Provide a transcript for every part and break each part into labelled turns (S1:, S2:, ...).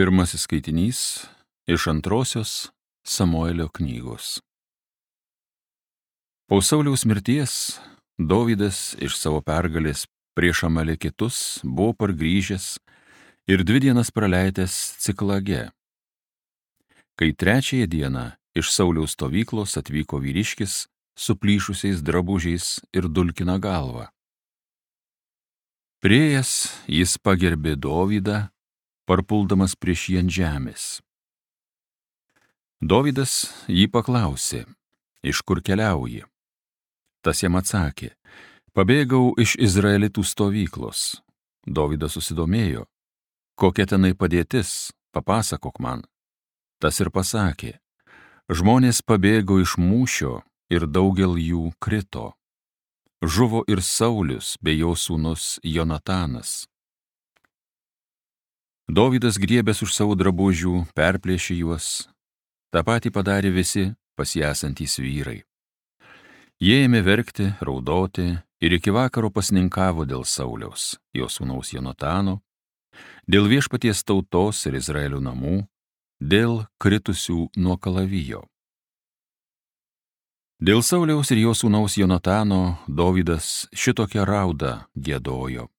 S1: Pirmasis skaitinys iš antrosios Samuelio knygos. Po Sauliaus mirties Dovydas iš savo pergalės prieš Amalekitus buvo pargrįžęs ir 2 dienas praleidęs Ciklage. Kai 3 dieną iš Sauliaus stovyklos atvyko vyriškis su plyšusiais drabužiais ir dulkina galvą. Priėjęs jis pagerbė Dovydą, parpuldamas prieš jį ant žemės. Dovydas jį paklausė, iš kur keliauji? Tas jam atsakė, pabėgau iš Izraelitų stovyklos. Dovydas susidomėjo, kokia tenai padėtis, papasakok man. Tas ir pasakė, žmonės pabėgo iš mūšio ir daugel jų krito. Žuvo ir Saulius bei jo sūnus Jonatanas. Dovydas griebęs už savo drabužių perplėšė juos, tą patį padarė visi pas jį esantys vyrai. Jie ėmė verkti, raudoti ir iki vakaro pasninkavo dėl Sauliaus, jo sūnaus Jonatano, dėl viešpaties tautos ir Izraelio namų, dėl kritusių nuo kalavijo. Dėl Sauliaus ir jo sūnaus Jonatano Dovydas šitokią raudą giedojo.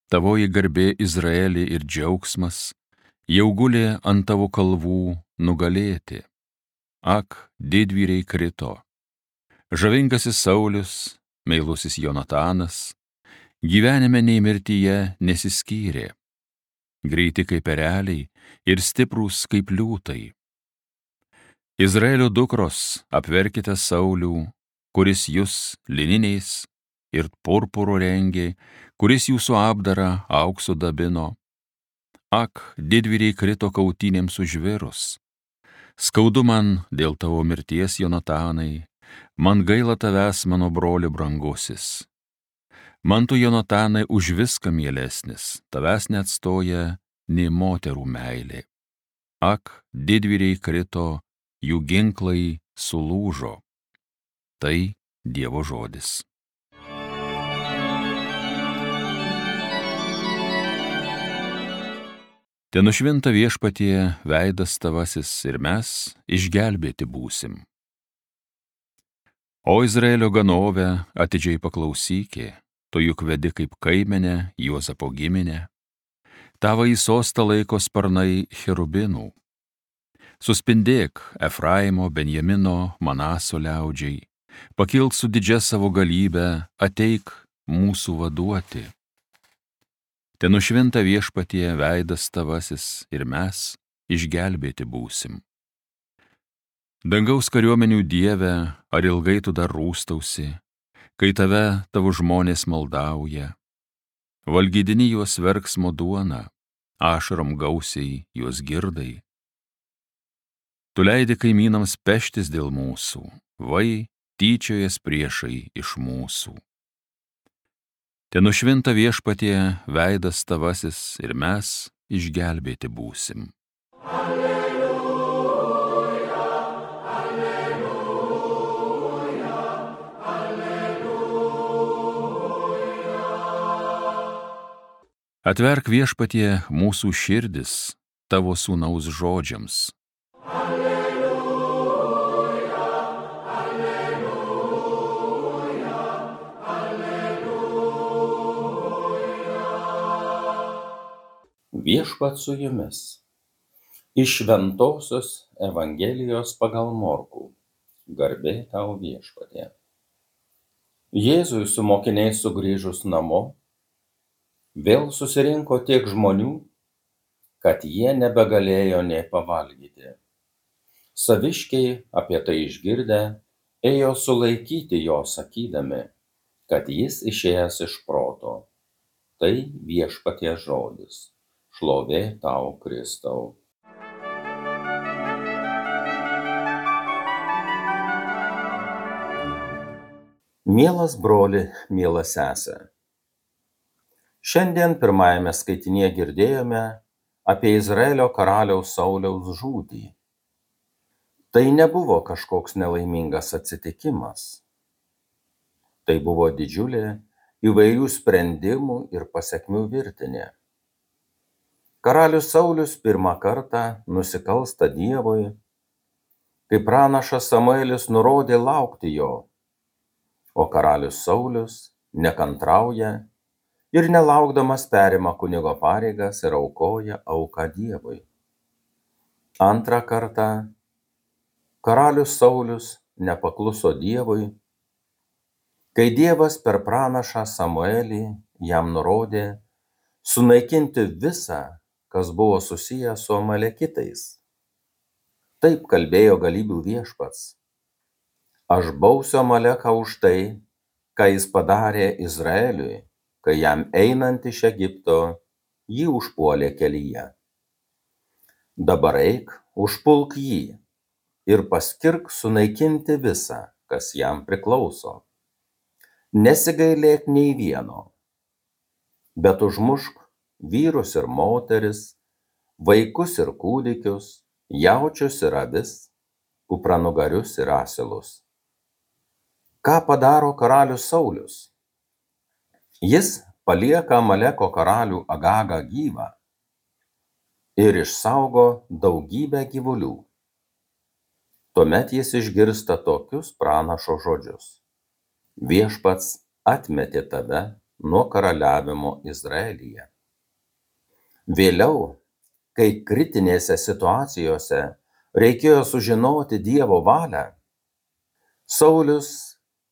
S1: Tavoji garbė Izraelį ir džiaugsmas jau gulė ant tavo kalvų nugalėti. Ak, didvyriai krito. Žavingasis Saulius, meilusis Jonatanas, gyvenime nei mirtyje nesiskyrė. Greiti kaip ereliai ir stiprūs kaip liūtai. Izraelio dukros, apverkite Saulių, kuris jūs lininiais ir purpuru rengė, kuris jūsų apdarą auksu dabino. Ak, didvyriai krito kautynėms už žvėrus. Skaudu man dėl tavo mirties, Jonatanai, man gaila tavęs, mano broli brangusis. Man tu, Jonatanai, už viską mielesnis, tavęs neatstoja nei moterų meilė. Ak, didvyriai krito, jų ginklai sulūžo. Tai Dievo žodis. Te nušvinta viešpatie veidas tavasis ir mes išgelbėti būsim. O Izraelio ganove atidžiai paklausykė, tu juk vedi kaip kaimenę Juozapo giminę. Tavo į sostą laiko sparnai cherubinų. Suspindėk Efraimo, Benjamino, Manaso liaudžiai, pakilk su didžia savo galybe, ateik mūsų vaduoti. Te nušvinta viešpatie veidas tavasis ir mes išgelbėti būsim. Dangaus kariuomenių Dieve, ar ilgai tu dar rūstausi, kai tave tavo žmonės maldauja? Valgydini juos verksmo duona, ašarom gausiai juos girdai. Tu leidi kaimynams peštis dėl mūsų, vai tyčiojas priešai iš mūsų. Te nušvinta viešpatie veidas tavasis ir mes išgelbėti būsim. Alleluja, alleluja, alleluja. Atverk viešpatie mūsų širdis tavo sūnaus žodžiams.
S2: Viešpats su jumis. Iš Šventosios Evangelijos pagal Morkų. Garbė tau, viešpatie. Jėzui su mokiniais sugrįžus namo, vėl susirinko tiek žmonių, kad jie nebegalėjo nė pavalgyti. Saviškiai apie tai išgirdę, ėjo sulaikyti jo, sakydami, kad jis išėjęs iš proto. Tai viešpaties žodis. Šlovė tau, Kristau. Mielas broli, miela sesė. Šiandien pirmajame skaitinyje girdėjome apie Izraelio karaliaus Sauliaus žūtį. Tai nebuvo kažkoks nelaimingas atsitikimas. Tai buvo didžiulė įvairių sprendimų ir pasekmių virtinė. Karalius Saulius pirmą kartą nusikalsta Dievui, kai pranašas Samuelis nurodė laukti jo, o karalius Saulius nekantrauja ir nelaukdamas perima kunigo pareigas ir aukoja auką Dievui. Antrą kartą karalius Saulius nepakluso Dievui, kai Dievas per pranašą Samuelį jam nurodė sunaikinti visą, kas buvo susiję su amalekitais. Taip kalbėjo galybių viešpats: aš bausiu Amaleką už tai, ką jis padarė Izraeliui, kai jam einant iš Egipto jį užpuolė kelyje. Dabar eik, užpulk jį ir paskirk sunaikinti visą, kas jam priklauso. Nesigailėk nei vieno, bet užmušk vyrus ir moteris, vaikus ir kūdikius, jaučius ir avis, kupranugarius ir asilus. Ką padaro karalius Saulius? Jis palieka Amaleko karalių Agagą gyvą ir išsaugo daugybę gyvulių. Tuomet jis išgirsta tokius pranašo žodžius: viešpats atmetė tave nuo karaliavimo Izraelyje. Vėliau, kai kritinėse situacijose reikėjo sužinoti Dievo valią, Saulius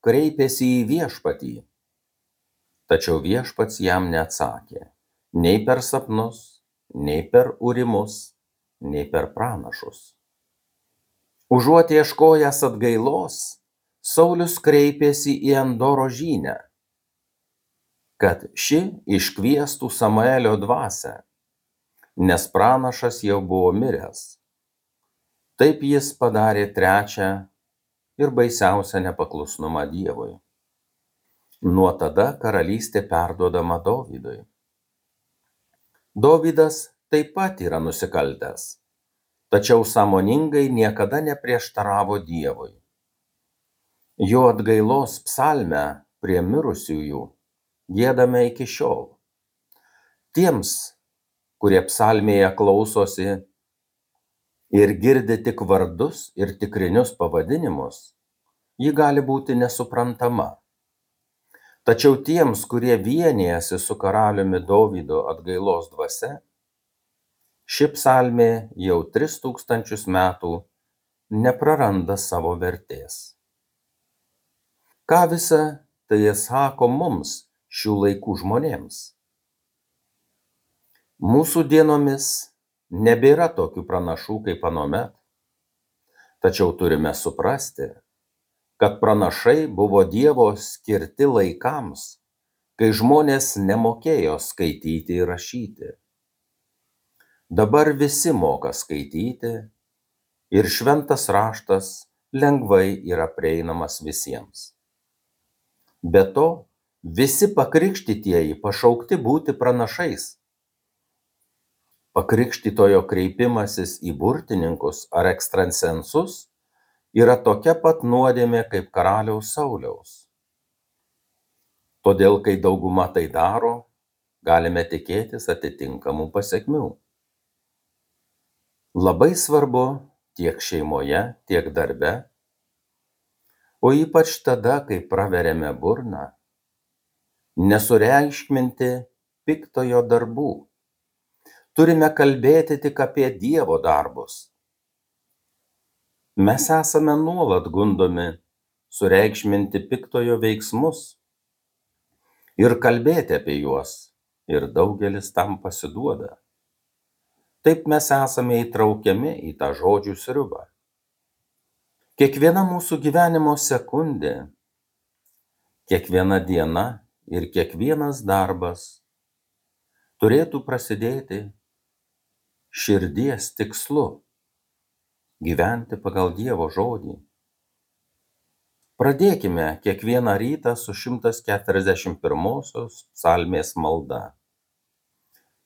S2: kreipėsi į viešpatį, tačiau viešpats jam neatsakė nei per sapnus, nei per urimus, nei per pranašus. Užuot ieškojęs atgailos, Saulius kreipėsi į Endoro žynę, kad ši iškviestų Samuelio dvasią, nes pranašas jau buvo miręs. Taip jis padarė trečią ir baisiausią nepaklusnumą Dievui. Nuo tada karalystė perduodama Dovydui. Dovydas taip pat yra nusikaltęs, tačiau sąmoningai niekada neprieštaravo Dievui. Jo atgailos psalmę prie mirusiųjų giedame iki šiol. Tiems, kurie psalmėje klausosi ir girdi tik vardus ir tikrinius pavadinimus, ji gali būti nesuprantama. Tačiau tiems, kurie vienijasi su karaliumi Dovydo atgailos dvasia, ši psalmė jau 3000 metų nepraranda savo vertės. Ką visa tai sako mums, šių laikų žmonėms? Mūsų dienomis nebėra tokių pranašų kaip anuomet, tačiau turime suprasti, kad pranašai buvo Dievo skirti laikams, kai žmonės nemokėjo skaityti ir rašyti. Dabar visi moka skaityti ir šventas raštas lengvai yra prieinamas visiems. Be to, visi pakrikštytieji pašaukti būti pranašais. Pakrikštytojo kreipimasis į burtininkus ar ekstrasensus yra tokia pat nuodėmė kaip karaliaus Sauliaus. Todėl, kai dauguma tai daro, galime tikėtis atitinkamų pasekmių. Labai svarbu tiek šeimoje, tiek darbe, o ypač tada, kai praveriame burną, nesureikšminti piktojo darbų. Turime kalbėti tik apie Dievo darbus. Mes esame nuolat gundomi sureikšminti piktojo veiksmus ir kalbėti apie juos, ir daugelis tam pasiduoda. Taip mes esame įtraukiami į tą žodžių sriubą. Kiekviena mūsų gyvenimo sekundė, kiekviena diena ir kiekvienas darbas turėtų prasidėti širdies tikslu – gyventi pagal Dievo žodį. Pradėkime kiekvieną rytą su 141 psalmės malda.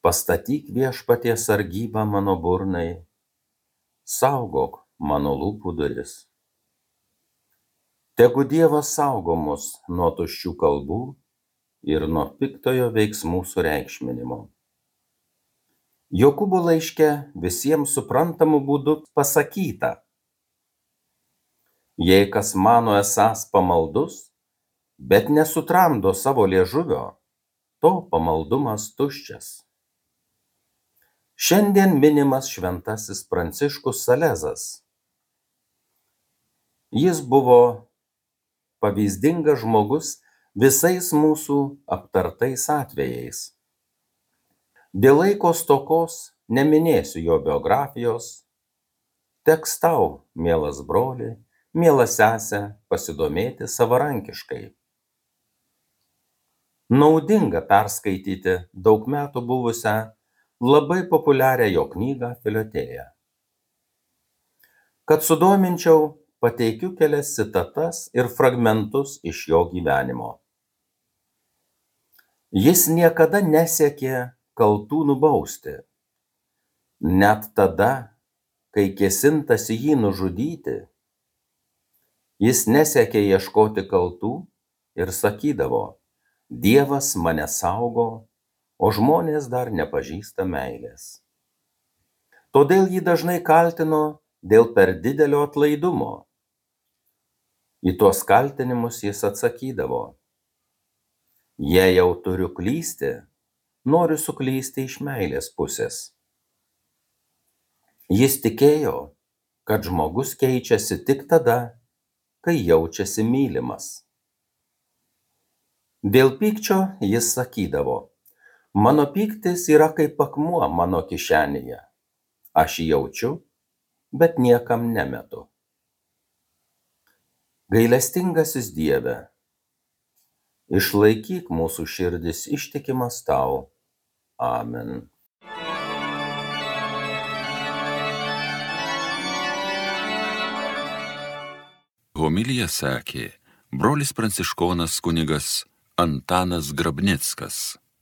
S2: Pastatyk viešpatie sargybą mano burnai, saugok mano lūpų duris. Tegu Dievas saugo mus nuo tuščių kalbų ir nuo piktojo veiksmų sureikšminimo. Jokūbo laiške visiems suprantamu būdu pasakyta: jei kas mano esąs pamaldus, bet nesutramdo savo liežuvio, to pamaldumas tuščias. Šiandien minimas šventasis Pranciškus Salezas. Jis buvo pavyzdingas žmogus visais mūsų aptartais atvejais. Dėl laiko stokos neminėsiu jo biografijos. Teks tau, mielas broli, miela sesė, pasidomėti savarankiškai. Naudinga perskaityti daug metų buvusią labai populiarią jo knygą Filotėją. Kad sudominčiau, pateikiu kelias citatas ir fragmentus iš jo gyvenimo. Jis niekada nesiekė kaltų nubausti. Net tada, kai kėsintasi jį nužudyti, jis nesiekė ieškoti kaltų ir sakydavo: Dievas mane saugo, o žmonės dar nepažįsta meilės. Todėl jį dažnai kaltino dėl per didelio atlaidumo. Į tuos kaltinimus jis atsakydavo: jei jau turiu klysti, noriu suklysti iš meilės pusės. Jis tikėjo, kad žmogus keičiasi tik tada, kai jaučiasi mylimas. Dėl pykčio jis sakydavo: mano pyktis yra kaip akmuo mano kišenėje. Aš jį jaučiu, bet niekam nemetu. Gailestingasis Dieve, išlaikyk mūsų širdis ištikimas tau. Amen.
S1: Homiliją sakė brolis pranciškonas kunigas Antanas Grabnickas.